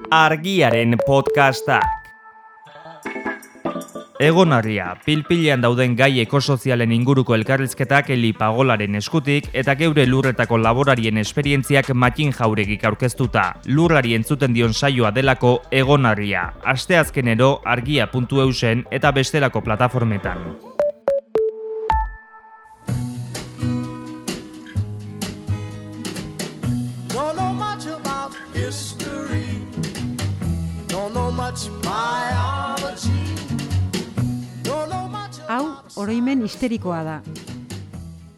Argiaren podcastak. Egonarria, pilpilean dauden gai ekosozialen inguruko elkarrizketak Eli Pagolaren eskutik eta geure lurretako laborarien esperientziak Matin Jauregik aurkeztuta. Lurrari entzuten dion saioa delako Egonarria. Asteazkenero argia.eusen eta bestelako plataformetan. Hau, oroimen histerikoa da.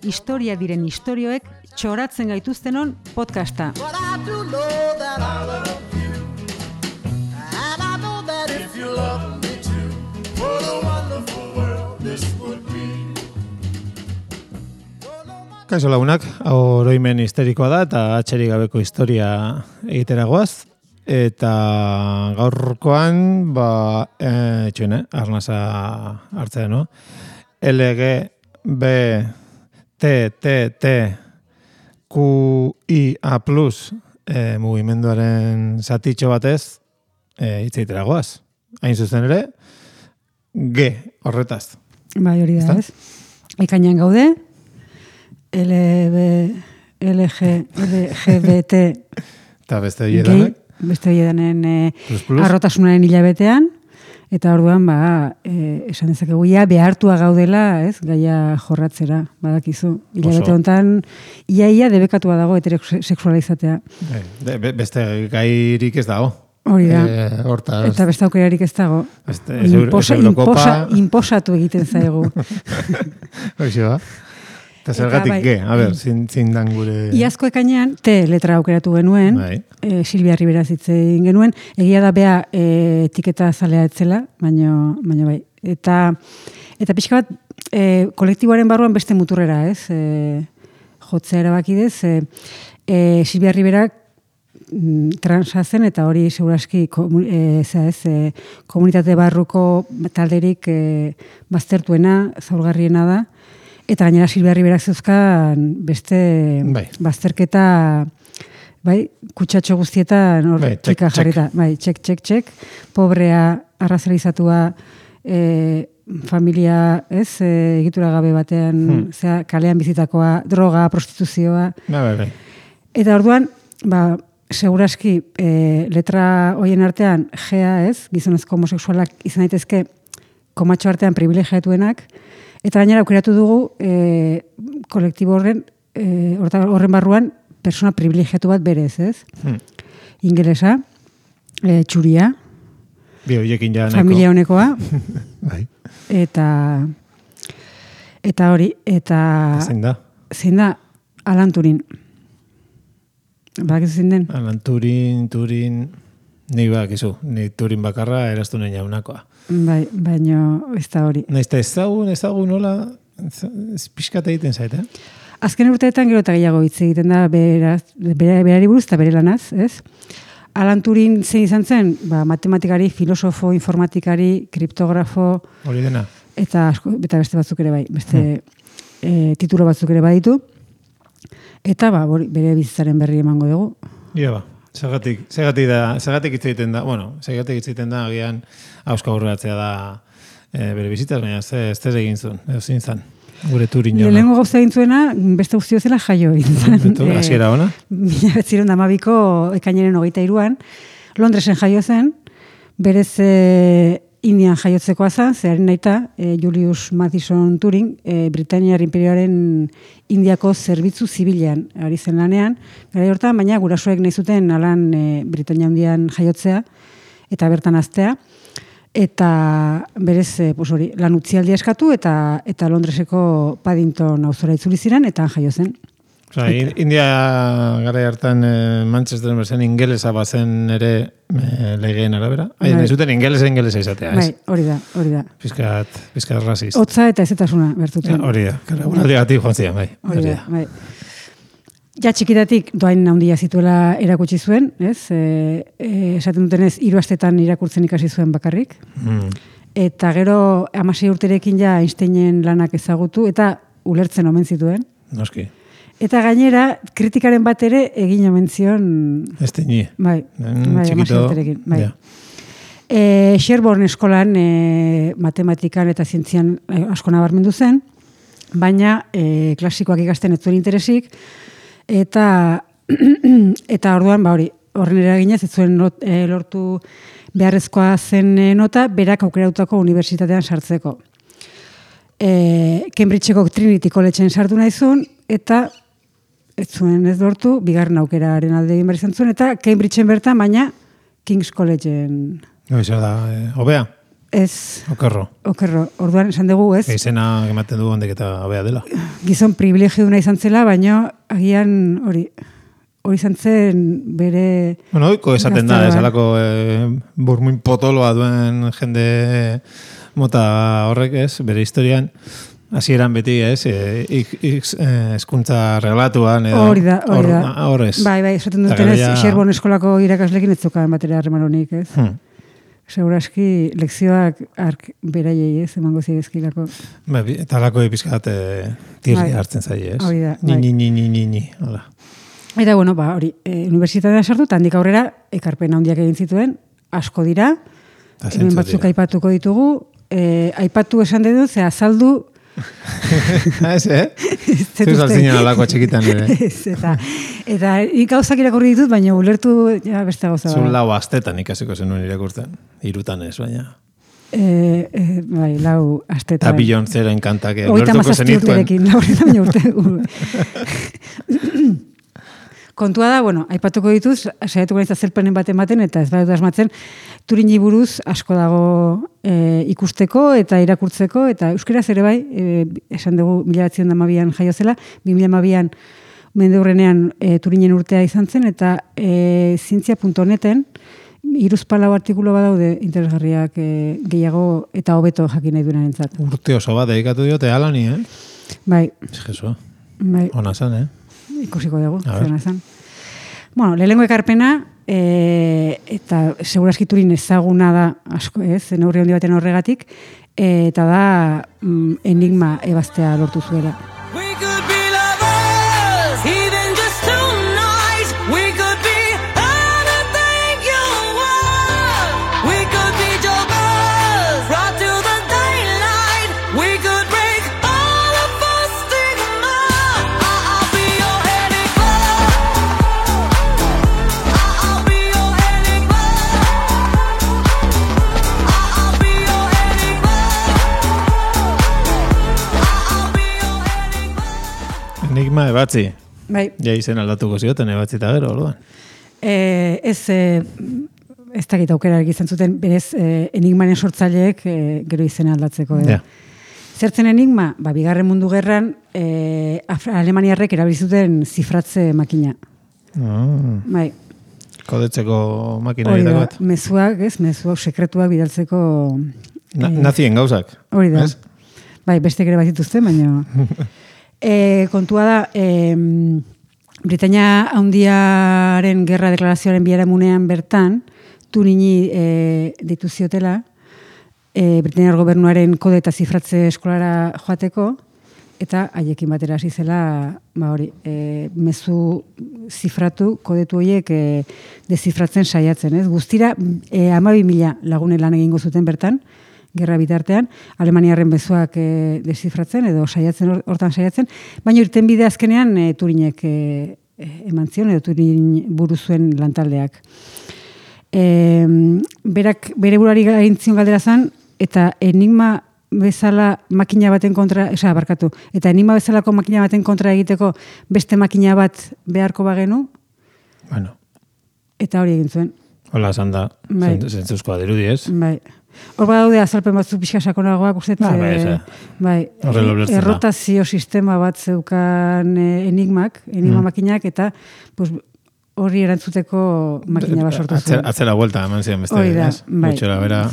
Historia diren istorioek txoratzen gaituztenon podcasta. Kaixo lagunak, hau oroimen histerikoa da eta atxerik gabeko historia egiteragoaz. Eta gaurkoan, arnasa hartzea, no? LGBTQIA+ mugimenduaren zatitxo batez hitz egiteragoaz. Hain zuzen ere, G horretaz. Bai, hori da, ez? Ekainean gaude, LGBT eta beste hiedanek. Beste hiedanen arrotasunaren hilabetean, eta orduan, esan dezakegu, behartua gaudela, ez, gaia jorratzera, badakizu. Hilabete honetan, ia debekatua dago heterosexuala izatea. Beste gairik ez dago. Hori da. Eta beste aukerarik ez dago. Inposatu egiten zaigu. Hoxo, eta zergatik G, zindan gure... Iazko ekainean, T letra aukeratu genuen, Silvia Ribera zitzen genuen, egia da bea etiketa zalea etzela, baina bai. Eta pixka bat, kolektiboaren barruan beste muturrera, ez? Jotzea erabakidez, Silvia Riberak transa zen, eta hori seguraski komunitate barruko talderik baztertuena, zaurgarriena da. Eta gainera Silvia Riberak zeuzkan beste bazterketa, kutsatxo guztietan hor txika jarrita. Txek. Pobrea, arrazalizatua, familia, egitura gabe batean, kalean bizitakoa, droga, prostituzioa. Eta orduan, seguraski letra hoien artean, G-a, gizonezko homosexualak izan daitezke komatxo artean privilegiatuenak, eta gainera aukeratu dugu kolektibo horren barruan persona privilegiatu bat berez, ez? Ingelesa, txuria, familia honekoa, eta hori, eta... Zein da? Alan Turin. Badakizu zein den? Alan Turin... Ni Turin bakarra eraztunen jaunakoa. Bai, baina ez da hori. Naizta ezagun nola pixkat egiten zait, Azken urteetan gero eta gehiago hitz egiten da berari buruz eta bere lanaz, ez? Alan Turing zein izan zen, matematikari, filosofo, informatikari, kriptografo... Hori dena. Eta beste batzuk ere bai, beste titulo batzuk ere baditu. Eta bere bizitzaren berri emango dugu. Ia Zagatik hitz egiten da, agian hauska aurreratzea da bere bizitzaz, baina ez egin zuen, ezin zan, gure Turin jona. Lehenengo gauza egin zuena, beste guztio zela jaio egin zan. Hasiera ona? 1912ko ekainaren 23an, Londresen jaio zen, berez Indian jaiotzekoa zen, zeharin naita, Julius Madison Turing, Britaniar Imperioaren Indiako zerbitzu zibilean ari zen lanean, gara hortan, baina gurasoek nahi zuten alan Britania Handian jaiotzea, eta bertan aztea, eta berez lan utzialdia eskatu, eta Londreseko Paddington auzora itzuli ziren, eta jaio zen. India gara hartan Manchester berzen ingelesa bazen ere legeen arabera. Nahi zuten ingelesa izatea, ez? Hori da. Piskat rasist. Hotza eta ezetasuna bertutzen. Hori da. Unaldiagatik joan zian, Hori da. Ja txikitatik doain handia zituela erakutsi zuen, ez? Esaten dutenez, 3 astetan irakurtzen ikasi zuen bakarrik. Eta gero 16 urterekin ja Einsteinen lanak ezagutu, eta ulertzen omen zituen. Noski. Eta gainera, kritikaren bat ere egin omen zion... Este ni. Bai, txikito. Bai. Sherborne eskolan matematikan eta zientzian asko nabarmendu zen, baina klasikoak ikasten ez zuen interesik, eta orduan, horren eraginez, ez zuen lortu beharrezkoa zen nota, berak aukerautako unibertsitatean sartzeko. Cambridgeko Trinity Collegeen sartu nahi zuen, eta ez zuen ez lortu, bigarren aukeraren alde egin behar izan zuen, eta Cambridgeen bertan, baina King's Collegeen... Zer da, hobea? Ez. Okerro. Orduan, esan dugu, ez? Izena ematen du ondek eta hobea dela. Gizon privilegioduna izan zela, baina agian hori izan zen bere... Bueno, oiko esaten da, esalako burmuin potoloa duen jende mota horrek, ez? Bere historian, hasieran beti, ez? Hizkuntza reglatuan edo... Hori da. Horrez. Bai, esaten duten ez, Sherborne eskolako irakaslekin ez zukan batera harremaronik, ez? Seguraski, lekzioak ark beraiei, ez, emango zidezkilako. Eta alako epizkat tirri hartzen zai, ez? Hori da. Ni. Hola. Eta, bueno, hori, unibertsitatea sartu, eta handik aurrera, ekarpen handiak egin zituen, asko dira, hemen batzuk aipatuko ditugu, aipatu esan dut, ze azaldu... Ez, Zuz altzinen alako txikitan ere. Eta gauzak irakurri ditut, baina ulertu beste gauza. Zun lau astetan ikasiko zenuen irakurtzen. 3 ez, baina. Bai, 4 astetan. Eta Beyoncéren kantak ulertuko zenituen. 37 urte. Kontua da, bueno, aipatuko dituz, saiatuko naiz azalpenen bat ematen, eta ez badut asmatzen, Turini buruz asko dago ikusteko eta irakurtzeko, eta euskaraz ere bai, esan dugu 1912an jaio zela, 2012an mendeurrenean Turinen urtea izan zen, eta zientzia.neten 3-4 artikulu badaude interesgarriak gehiago eta hobeto jakin nahi duenarentzat. Urte oso bat dedikatu diote alani, Bai. Jesua. Bai. Ona zan, Ikusiko dugu, zer nazan. Bueno, lehenengo ekarpena, eta seguraski Turin ezaguna da asko, neurri handi baten horregatik, eta da enigma ebaztea lortu zuela. Enigma ebatzi. Bai. Ja izen aldatuko zioten ebatzi eta gero, orduan. Ez dakit aukera egiten zuten, berez enigmaren sortzaileek gero izena aldatzeko. Zertzen enigma? Bigarren mundu gerran Alemaniarrek erabilizuten zifratze makina. Bai. Kodetzeko makina egitako bat. Mezuak, mezuak sekretuak bidaltzeko... Nazien gauzak. Hori da. Bai, beste ere bat zituzten, baina... kontua da, Britainia Handiaren gerra deklarazioaren biharamunean bertan, Turini deitu ziotela, Britainia gobernuaren kode eta zifratze eskolara joateko, eta haiekin batera hasi zela, mezu zifratu, kodetu horiek dezifratzen saiatzen, ez? Guztira, 12.000 lagunen lan egingo zuten bertan, gerra bitartean, Alemaniarren bezuak dezifratzen, edo hortan saiatzen, baina irtenbide azkenean Turinek eman zion, edo Turin buruzuen lantaldeak. Bere burari egin zion galdera zan, eta enigma bezala makina baten kontra, eta enigma bezalako makina baten kontra egiteko beste makina bat beharko bagenu, eta hori egin zuen. Hola, esan da, zentzuzkoa dirudi, ez? Bai. Hor daude azalpen batzu pixka sakonagoak, errotazio sistema bat zeukan enigma makinak, eta horri erantzuteko makina bat sortu zuen. Atzera vuelta, eman ziren beste. Hori da, bai. Gutxera, bera.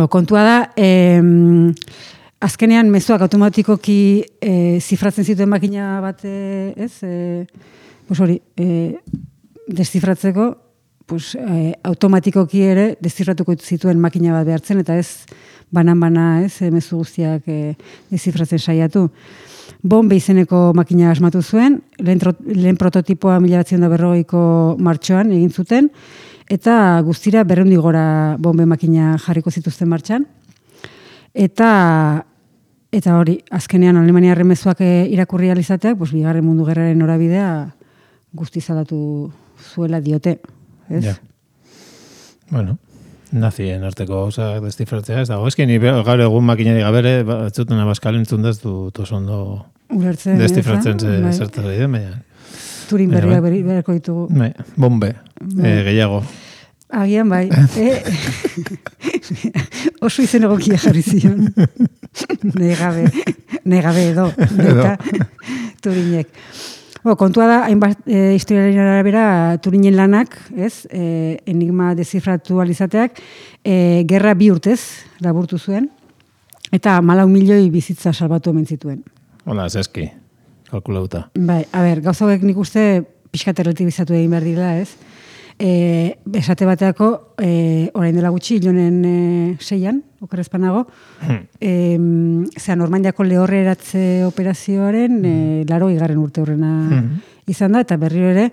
Kontua da, azkenean mezuak automatikoki zifratzen zituen makina bat, hori, deszifratzeko, pues, automatikoki ere dezifratuko zituen makina bat behartzen, eta ez banan-bana, ez, mezu guztiak dezifratzen saiatu. Bombe izeneko makina asmatu zuen, lehen prototipoa 1940ko martxoan egin zuten, eta guztira 200 gora bombe makina jarriko zituzten martxan. Eta hori, azkenean Alemaniarren mezuak irakurri alizateak, pues, Bigarren Mundu Gerraren norabidea guztiz aldatu zuela diote. Ez? Ja. Bueno, nazien arteko gauza destifratzea, ez dago. Ez ni gaur egun makinari gabere, ez zuten abaskal entzun daz du ondo destifratzen zertaz egin, baina. Turin berriak berreko ditugu. Bombe, gehiago. Agian bai. Oso izen egokia jarri zion. Negabe edo. Turinek. Kontua da, hainbat historiaren arabera Turinen lanak, ez, enigma dezifratu alizateak, gerra 2 urtez laburtu zuen, eta 4 milioi bizitza salbatu omen zituen. Hola, zeski, kalkulauta. Bai, a ber, gauza hauek nik uste pixkat erlatibizatu egin behar dira, ez? Esate bateako, orain dela gutxi, ilonen 6an, okerrezpanago, Normandiako lehorre eratze operazioaren 80. urte horrena izan da, eta berriro ere,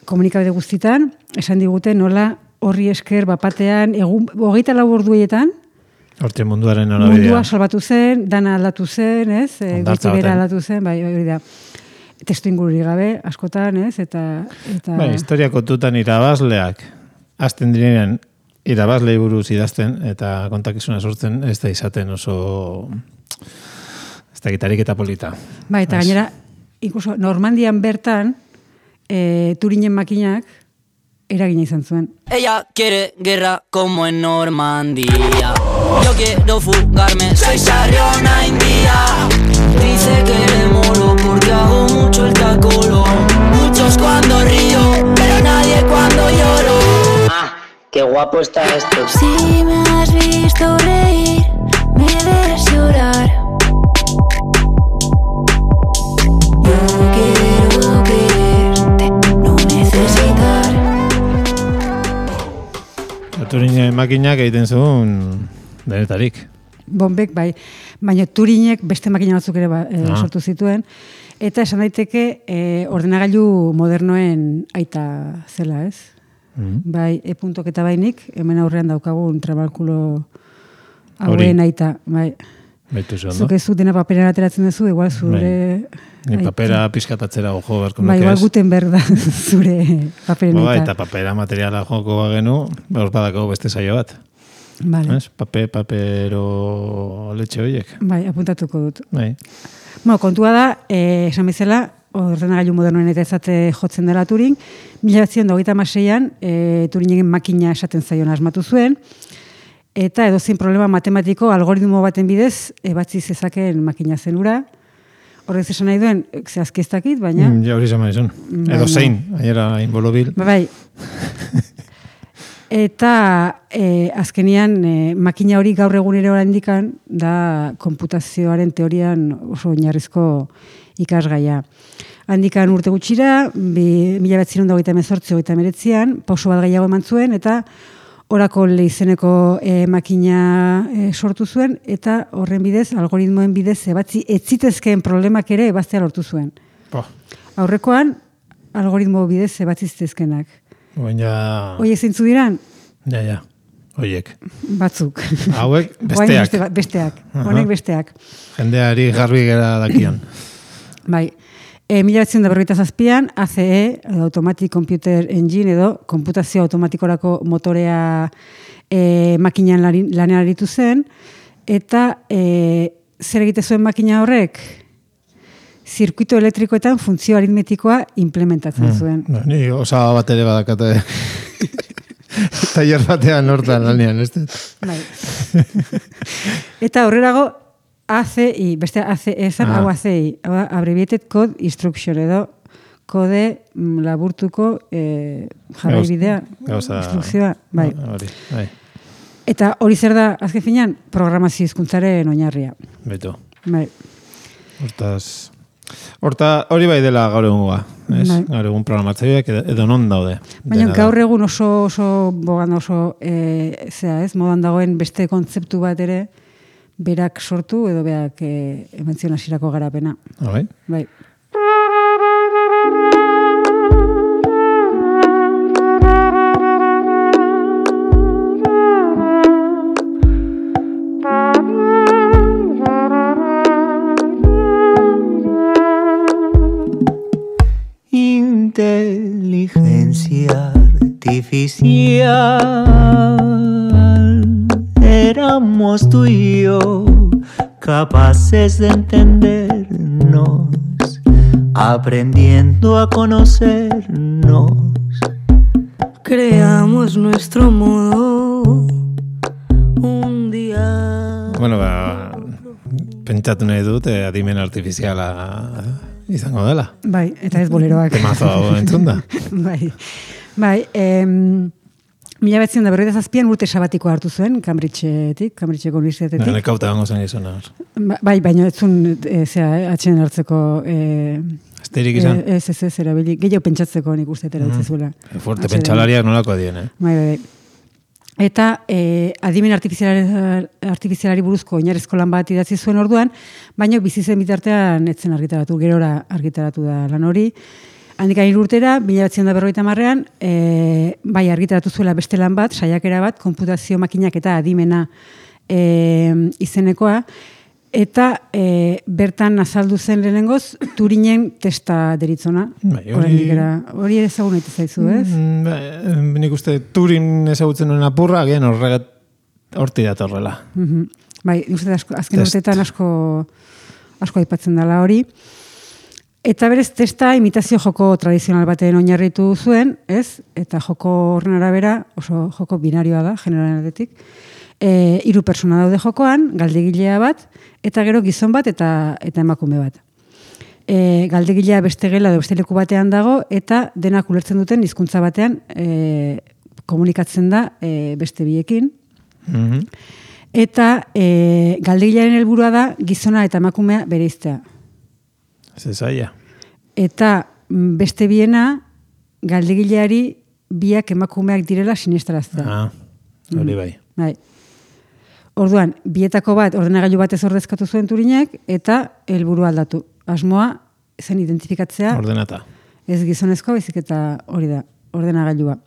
komunikabide guztitan, esan digute nola horri esker bapatean, 24 orduetan, hortxe munduaren norabidea. Mundua salbatu zen, dana aldatu zen, ez? Goiti bera aldatu zen, bai, hori da. Testu ingururi gabe, askotan, ez? Eta... Bai, historia kontutan irabazleak, azten direnean irabazlei buruz idazten, eta kontakizuna sortzen, ez da izaten oso... ez da gitarik eta polita. Bai, eta gainera, inkluso Normandian bertan, Turinen makinak, eragina izan zuen. Ella quiere guerra como en Normandia. Yo quiero fugarme, soy sarriona india. Dice que le molo porque hago mucho el tacolo. Muchos cuando río, pero nadie cuando lloro. Ah, qué guapo está esto. Si me has visto reír, me ves llorar. Yo quiero creerte, no necesitar. Turinen makinak egiten zuen denetarik. Bombek, bai. Baina Turinek beste makina batzuk ere sortu zituen. Eta esan daiteke ordenagailu modernoen aita zela, ez? Bai, e-puntok eta bainik, hemen aurrean daukagun trabalkulo hauen aita. Bai. Zuk ez dena paperan ateratzen duzu, igual zure... Ni papera pizkatatzera joko beharko nuke ez. Bai, igual Gutenberg da zure paperen aita. Eta papera materiala joko bagenu, hor badako beste saio bat. Vale. Papero letxe horiek. Bai, apuntatuko dut. Bai. Kontua da, esan bezala, ordenagailu modernoen eta ezate jotzen dela Turing, 1926an Turingen makina esaten zaion asmatu zuen, eta edozein problema matematiko algoritmo baten bidez ebatzi zezaken makina zenura. Horrez esan nahi duen, zehazki ez dakit, baina... Ja, hori zaman izan. Edo zein, ahiera inbolobil. Bai. Eta azkenian makina hori gaur egunero indikan da konputazioaren teorian oso oinarrizko ikasgaia. Handikan urte gutxira, 1928-1929an, pauso bat gehiago eman zuen, eta Oracle izeneko makina sortu zuen, eta horren bidez, algoritmoen bidez, ebatzi etzitezkeen problemak ere ebaztea lortu zuen. Aurrekoan, algoritmo bidez ebatzi zitezkenak. Oiek zeintzu diran? Ja. Oiek. Batzuk. Hauek besteak. Besteak. Honek besteak. Jendeari garbi gera dakian. Bai. 1947an ACE, Automatic Computer Engine, edo konputazio automatikorako motorea makinan lanean aritu zen, eta zer egite zuen makina horrek? Zirkuito elektrikoetan funtzio aritmetikoa implementatzen zuen. Ni osaba bat ere badakate. Taller batean hortan lanean, ez? Bai. Eta horrelago, ACI, beste ACI, esan hau ACI, Abbreviated Code Instruction, edo kode laburtuko jarraibidea, instrukzioa. Bai. Eta hori zer da, azken finean, programazio hizkuntzaren oinarria. Beto. Bai. Hortaz, Horta, hori bai dela gaur egungoa. Gaur egun programatzaileak edo non daude. Baina gaur egun oso bogan oso modan dagoen beste kontzeptu bat ere berak sortu edo berak emantzion hasierako garapena. Bai? Bai. Inteligencia artificial, éramos tú y yo capaces de entendernos, aprendiendo a conocernos. Creamos nuestro modo un día. Bueno, pentsatu nahi dut, adimen artifiziala izango dela. Bai, eta ez boleroak. Temazo hau entzun da. Bai, 1947an urte sabatikoa hartu zuen, Cambridgeko unibertsitatetik. Nekauta gango zen izona. Bai, baina ez zuen, atxen hartzeko... Asterik izan? Ez, erabili. Gehiago pentsatzeko nik uste etera utzizuela. Fuerte pentsalariak nolako adien, Bai. Eta adimen artifizialari buruzko oinarrizko lan bat idatzi zuen orduan, baina bizi zen bitartean etzen argitaratu, gerora argitaratu da lan hori. Handik 3 urtera, 1950an, bai argitaratu zuela beste lan bat, saiakera bat, konputazio makinak eta adimena izenekoa, eta bertan azaldu zen lehenengoz, Turinen testa deritzona. Hori ezagun nahi zaizu, ez? Nik uste Turin ezagutzen nuen apurra, agian horti datorrela. Bai, uste azken urteetan asko aipatzen dela hori. Eta berez testa imitazio joko tradizional baten oinarritu zuen, ez? Eta joko horren arabera, oso joko binarioa da, generaletik. 3 pertsona daude jokoan, galdegilea bat, eta gero gizon bat eta emakume bat. Galdegilea beste gela edo beste leku batean dago, eta denak ulertzen duten hizkuntza batean komunikatzen da beste biekin. Eta galdegilearen helburua da gizona eta emakumea bereiztea. Zezaia. Eta beste biena galdegileari biak emakumeak direla sinestaraztea. Hori bai. Bai. Orduan, bietako bat ordenagailu batez ordezkatu zuen Turinek eta helburua aldatu. Asmoa zen identifikatzea. Ordenata. Ez gizonezkoa, baizik eta hori da, ordenagailua.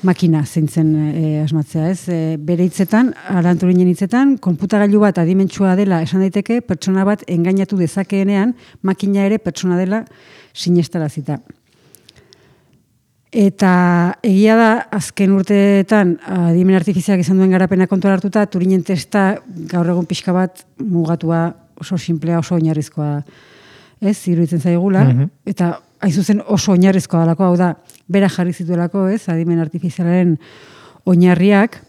Makina zeintzen asmatzea, ez? Bere hitzetan, Alan Turinen hitzetan, konputagailu bat adimentsua dela esan daiteke, pertsona bat engainatu dezakeenean, makina ere pertsona dela sinestarazita. Eta egia da, azken urteetan, adimen artifizialak izan duen garapena kontuan hartuta, Turinen testa gaur egun pixka bat mugatua, oso simplea, oso oinarrizkoa, ez, iruditzen zaigula, eta hain zuzen oso oinarrizkoa dalako, hau da, bera jarri zituelako, ez, adimen artifizialaren oinarriak,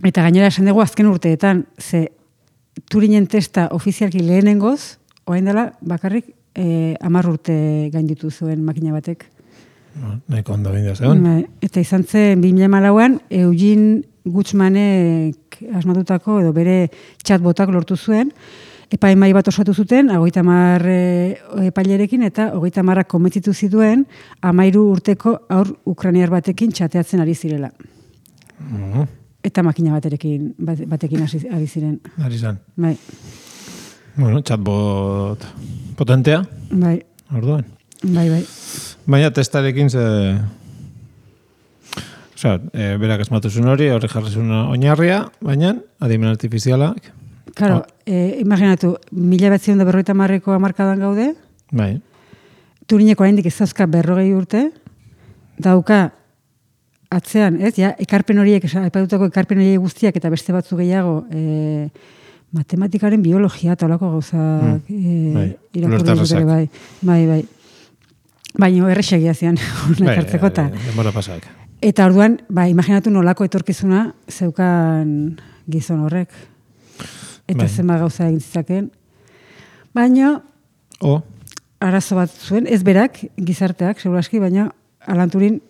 eta gainera esan dugu azken urteetan, ze Turinen testa ofizialki lehenengoz, orain dela, bakarrik 10 urte gainditu zuen makina batek. Nahiko ondo bindu zegoen. Eta izan zen 2014an Eugene Gutschmanek asmatutako edo bere chatbotak lortu zuen, epaimai bat osatu zuten, 50 epailerekin eta 50 konbentzitu zituen 13 urteko aur ukrainiar batekin txateatzen ari zirela. Eta makina batekin ari ziren. Ari zan. Bai. Bueno, chatbot potentea. Bai. Orduan. Bai. Baina testarekin berak asmatu zuen hori jarri zuen oinarria, baina adimen artifizialak. Claro, imaginatu, 1950ko hamarkadan gaude. Bai. Turineko oraindik ez dauzka 40 urte, dauka atzean, ez? Ja, ekarpen horiek, aipatutako ekarpen horiek guztiak eta beste batzu gehiago, matematikaren biologia eta holako gauzak irakurri dute bai. Baina erresegia zian ekartzeko eta. Denbora pasak. Eta orduan, imaginatu nolako etorkizuna zeukan gizon horrek. Eta zenba gauza egin zitzaken. Baina, arazo bat zuen, ez berak, gizarteak, seguraski, baina Alan Turing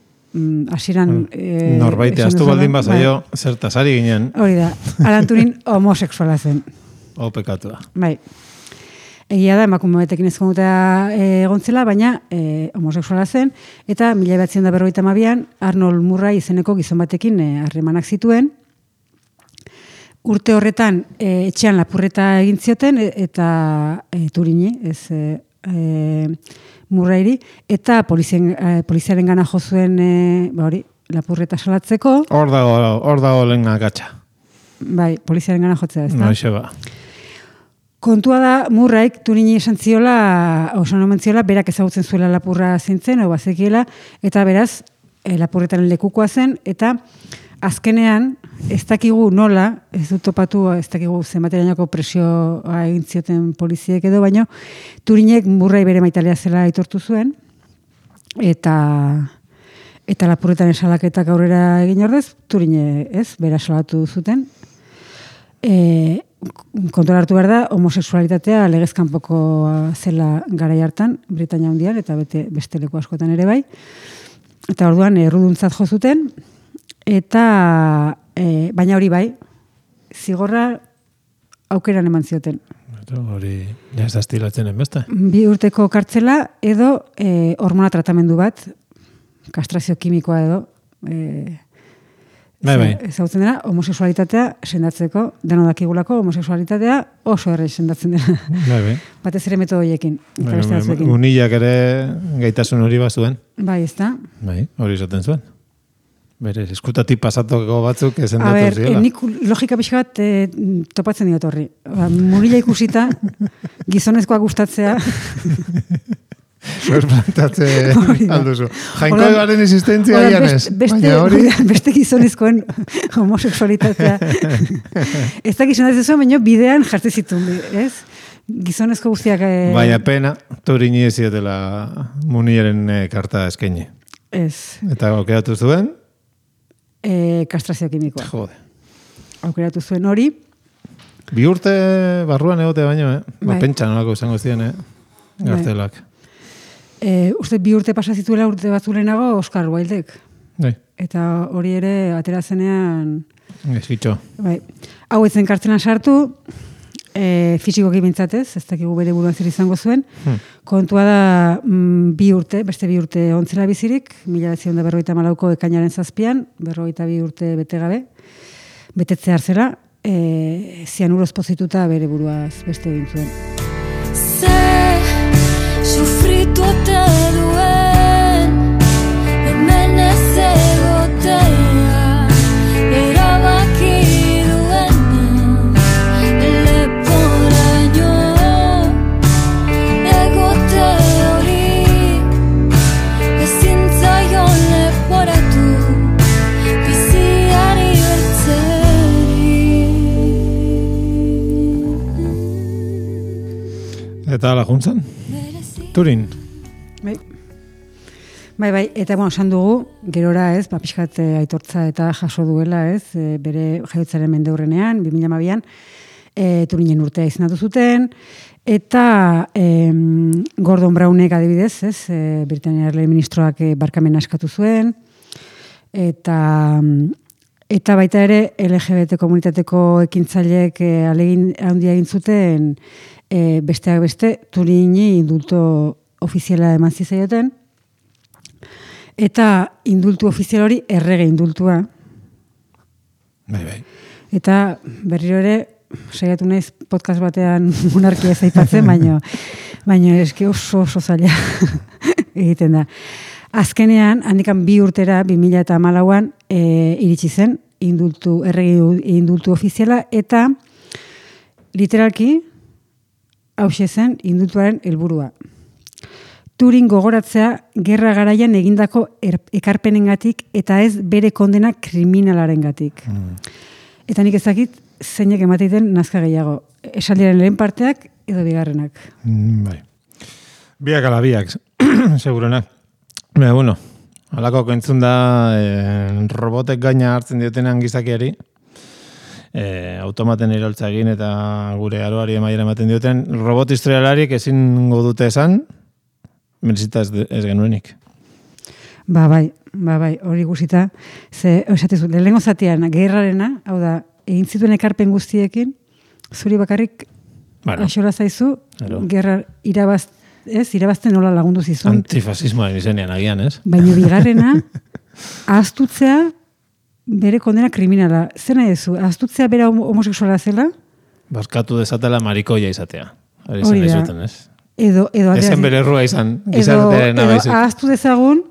hasieran... Norbaite, astu baldin bazaio, zertasari ginen. Hori da, Alan Turing homosexuala zen. Pekatua. Bai. Egia da, emakume batekin ezkonuta egon zela, baina homosexuala zen, eta 1952an Arnold Murray izeneko gizon batekin harremanak zituen. Urte horretan etxean lapurreta egin zioten, eta Turini, ez Murrayri, eta poliziaren gana jo zuen lapurreta salatzeko. Hor dago lehen akatsa. Bai, poliziaren gana jotzea, ez da? Noixe ba. Kontua da, Murrayk Turini esan ziola, berak ezagutzen zuela lapurra zintzen, hau bazekiela, eta beraz, lapurretaren lekukoa zen, eta azkenean, ez dakigu nola, ez dut topatu, ez dakigu zenbaterainoko presioa egin zioten poliziek edo, baino, Turinek Murray bere maitalea zela aitortu zuen, eta lapurretan esalaketak aurrera egin ordez, Turine bera salatu zuten. Kontuan hartu behar da, homosexualitatea legezkanpokoa zela garai hartan, Britainia Handian, eta beste leku askotan ere bai. Eta orduan, erruduntzat jo zuten, eta baina hori bai, zigorra aukeran eman zioten. Hori, ez da estilatzen enbeste. 2 urteko kartzela edo hormona tratamendu bat, kastrazio kimikoa edo, ezagutzen dena, homosexualitatea sendatzeko, deno dakigulako homosexualitatea oso erre sendatzen dena. Batez ere metodo horiekin. Unilak ere gaitasun hori bazuen. Bai, ez da. Bai, hori izaten zuen. Bere, eskutatik pasatuko batzuk esendatu ziola. Nik logika pixka bat topatzen diot horri. Murila ikusita, gizonezkoa gustatzea. Plantatze alduzu. Jainko garen existentzia janez. Beste gizonezkoen homosexualitatea. Ez da gizonez zuen, baina bidean jartzen zituen, ez? Gizonezko guztiak... Baina pena, Turini ez ziotela Munilaren karta eskaini. Ez. Eta aukeratu zuen? Kastrazio kimikoa. Jode. Aukeratu zuen hori. 2 urte barruan egote baino, pentsa nolako izango ziren, gartelak. Uste 2 urte pasa zituela urte batzulenago Oscar Wildek. Eta hori ere atera zenean... Ezkitxo. Hau etzen kartzelan sartu, fisikoki bintzatez, ez dakigu bere buruan zer izango zuen. Kontua da 2 urte, beste 2 urte ontzela bizirik, 1954ko ekainaren 7an, 42 urte bete gabe, betetze hartzera, zianuroz pozituta bere buruaz beste egin zuen. Sufritu ote duen, hemen ez egotea, erabaki duena, leporaino, egote hori, ezin zaion leporatu, biziari bertzeri. Eta ala juntzan? Turin. Bai, eta esan dugu, gerora pixkat aitortza eta jaso duela, bere jaiotzaren mendeurrenean, 2012an, Turinen urtea izendatu zuten, eta Gordon Brownek adibidez, Britania ministroak barkamena eskatu zuen, eta baita ere LGBT komunitateko ekintzaileek alegin handia egin zuten, besteak beste, Turini indulto ofiziala eman zizaioten, eta indultu ofizial hori errege indultua. Bai. Eta berriro ere, saiatu naiz podcast batean monarkia ez aipatzen, baina eski oso zaila egiten da. Azkenean, handikan 2 urtera, 2014an, iritsi zen, errege indultu ofiziala, eta literalki, hauxe zen indultuaren helburua. Turin gogoratzea gerra garaian egindako ekarpenengatik eta ez bere kondena kriminalarengatik. Eta nik ezakit zeinek emateiten nazka gehiago. Esaldiaren lehen parteak edo bigarrenak. Bai. Biak ala biak, segurenak. Bueno, alako kentzun da robotek gaina hartzen diotenan gizakiari, automaten iroltza egin eta gure aroari emaiera ematen dioten, robot historialarik ezin godute esan, merezita ez genuenik. Bai, hori guzita, esatezu, lehengo zatean, gerrarena, hau da, egin zituen ekarpen guztiekin, zuri bakarrik Aixora zaizu, gerra irabazten nola lagundu zizun. Antifasismoaren izenean agian, ez? Baina bigarrena, ahaztutzea bere kondena kriminala. Zer nahi duzu? Ahaztutzea bera homoseksuala zela? Barkatu dezatela marikoia izatea. Hori zen zuten, ez? Edo ezen bere errua izan, gizartearen nabaizik. Edo ahaztu dezagun,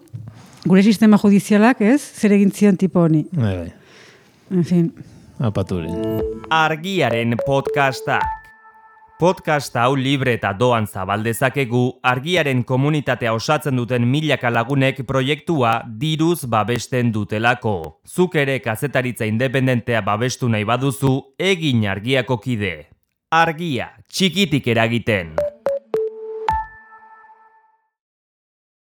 gure sistema judizialak, ez? Zer egin zion tipo honi. Bai. En fin. Apaturin. Argiaren podcastak. Podcast hau libre eta doan zabaldezakegu, Argiaren komunitatea osatzen duten milaka lagunek proiektua diruz babesten dutelako. Zuk ere kazetaritza independentea babestu nahi baduzu, egin Argiako kide. Argia, txikitik eragiten.